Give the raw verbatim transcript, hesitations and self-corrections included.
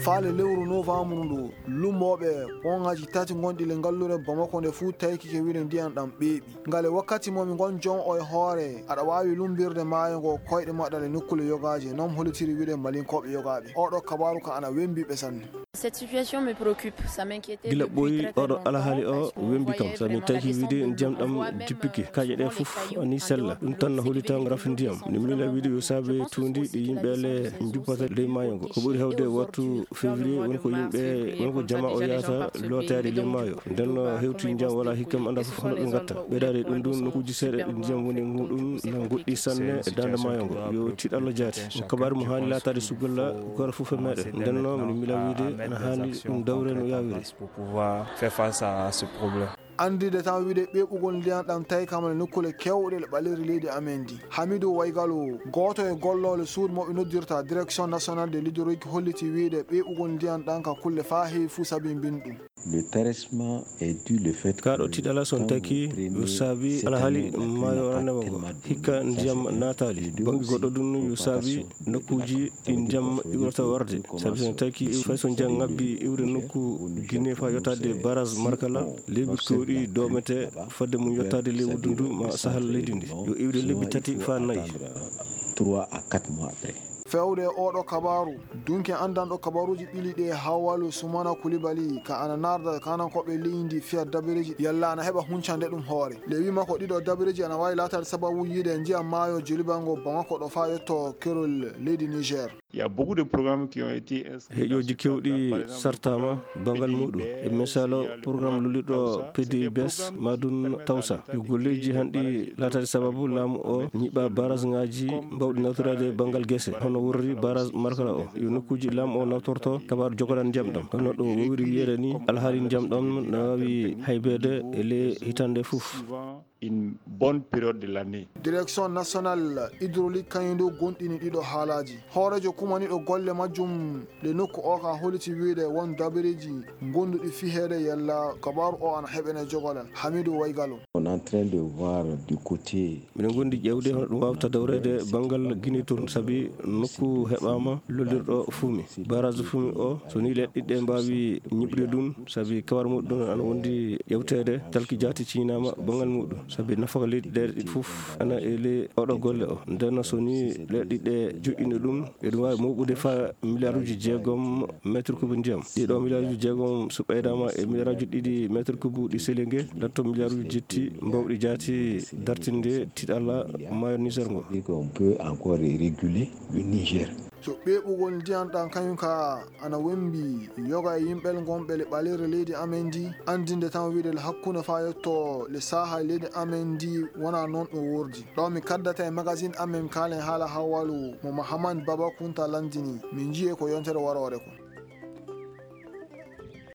Faale lewru novembre ndu, lummooɓe pont ŋaaji tati gonɗi le ngalluure Bamako nde fuu taykike wiide ndiyam ɗam ɓeeɓi. Ngale wakkati mo mi ngon jon o e hoore, aɗa waawi lumbirde maayo ngo koyɗe maɗa le nokkuule yogaaje, non hollitiri wiide Malinkooɓe yogaaɓe. Oɗo kabaaru ka ana wembi ɓe sanne. Cette situation me préoccupe, ça m'inquiète. Gila ɓooyi oɗo alhaali o wembi kam, sabi mi tawi wiide ndiyam ɗam jippike. Kaaƴe ɗe fof ani sella. Ɗum tan no hollita rafi ndiyam. Mi miila wiide yo saabe tuundi ɗi yimɓe le njuppata ley maayo ngo. Ko ɓuri heewde wattu février woni ko yimɓe, woni ko jama o yahata lootaade ley maayo. Nden no hewti ndiyam wala hikka mi annda fof hono ɓe ngatta. Ɓeydaade ɗum ɗum nokkuuji seeɗa ɗi ndiyam woni e muɗum na ngoɗɗi sanne e daande maayo ngo. Yo tiiɗalla jaati. Ko kabaaru mo haani laataade sugulla gooto fof e meeɗen. Nden no mi miila wiide ana haani ɗum dawre no yaawiri. Pour pouvoir faire face à ce problème. Anndinde tan wiide ɓeeɓugol ndiyam ɗam tawi kam e nokkuule keewɗe e ɓaleeri leydi amen ndi. Hamidou Waygalo, gooto e gollooɓe suudu mo ɓe noddirta Direction Nationale de l'Hydraulique holliti wiide ɓeeɓugol ndiyam ɗam ka kulle faa heewi fuu sabi mbin ɗum. Le tarissement est dû le fait Kaa ɗo que tiiɗalla so on quand taki vous prenez yo saabi cette alhaali année, on a maayo pris rannewo ngo. Hikka ndiyam naataali. Bannge goɗɗo ɗum yo saabi nokkuuji ɗi ndiyam iwrata warde. Sabi so on taki iw-, fay so ndiyam ŋabbi iwde nokku Guinée faa yottaade barrage Markala, leeɓi keewɗi doomete fodde mum yottaade ley wuddu ndu ma sahal leydi ndi. Yo iwde lebbi tati faa nayi. Trois à quatre mois après. Feewde e oɗo kabaaru, dunke anndanɗo kabaaruuji ɓili ɗi e Hawwalu Sumana Kulibali, ka ana naarda kanankooɓe leydi fiya dabareeji, yalla ana heɓa huncande ɗum hoore. Le wiima ko ɗiɗo dabareeji ana waawi laataade sababu yiide ndiyam maayo Joliba ngo Bamako ɗo faa yetto kerol leydi Niger. Il y a beaucoup de programmes qui ont été inscrits dans ce cadre-là. Heƴooji keewɗi sartaama banngal muuɗum. E misaalo, programme lullirɗo P D I B S, Madun Tawsa. Yo golleeji hanɗi laataade sababu laamu o ñiɓa barrage ŋaaji mbawɗi nawtoraade banngal gese, hono worri barrage Markala o. Yo nokkuuji laamu o nawtorto kabaaru jogoral ndiyam ɗam. Hono ɗo wowiri wiyeede ni, alhaali ndiyam ɗam na waawi haybeede e ley hitaande fof. Une bonne période de l'année. Direction Nationale Hydraulique kañum du gonɗini ɗiɗo haalaaji. Hooreejo kumaniiɗo golle majjum le nokku o ka holliti wiide won dabareeji gonduɗi fiheede yalla kabaaru o ana heɓene jogolal. Hamidou Waygalo. On est en train de voir du côté Miɗen gondi ƴeewde hono ɗum waawta dawreede banngal Guinée toon, sabi nokku heɓaama lollirɗo fumi. Barrage fumi o, so ni leɗɗe ɗe mbaawi ñiɓde ɗum, sabi kawar muɗum ana wondi ƴeewteede, talki jaati ciñinaama banngal muɗum, sabi nafaka leydi ɗe ɗiɗi fof ana e ley oɗo golle o. Nden so ni leɗɗe ɗe joƴƴini ɗum, eɗum waawi mooɓude faa miliyaaruuji jeegom mètre cube ndiyam. Ɗiɗo miliyaaruuji jeegom so ɓeydaama e miliyaaruuji ɗiɗi mètre cube ɗi Sélégué, latto miliyaaruuji jetti mbawɗi jaati dartinde tiiɗalla maayo Niger ngo. On peut encore réguler le Niger. So ɓeeɓugol ndiyam ɗam kañum ka ana wembi yoga e yimɓe gonɓe le ɓaleere leydi amen ndi, anndinde tan wiide le hakkunde faa yetto le saaha leydi amen ndi wona noon ɗum wordi. Ɗo mi kaddata e magazine amen kaalen haala Hawwalu mo Mahamani Baba Kunta lanndini, min njiyee ko yontere waroore ko.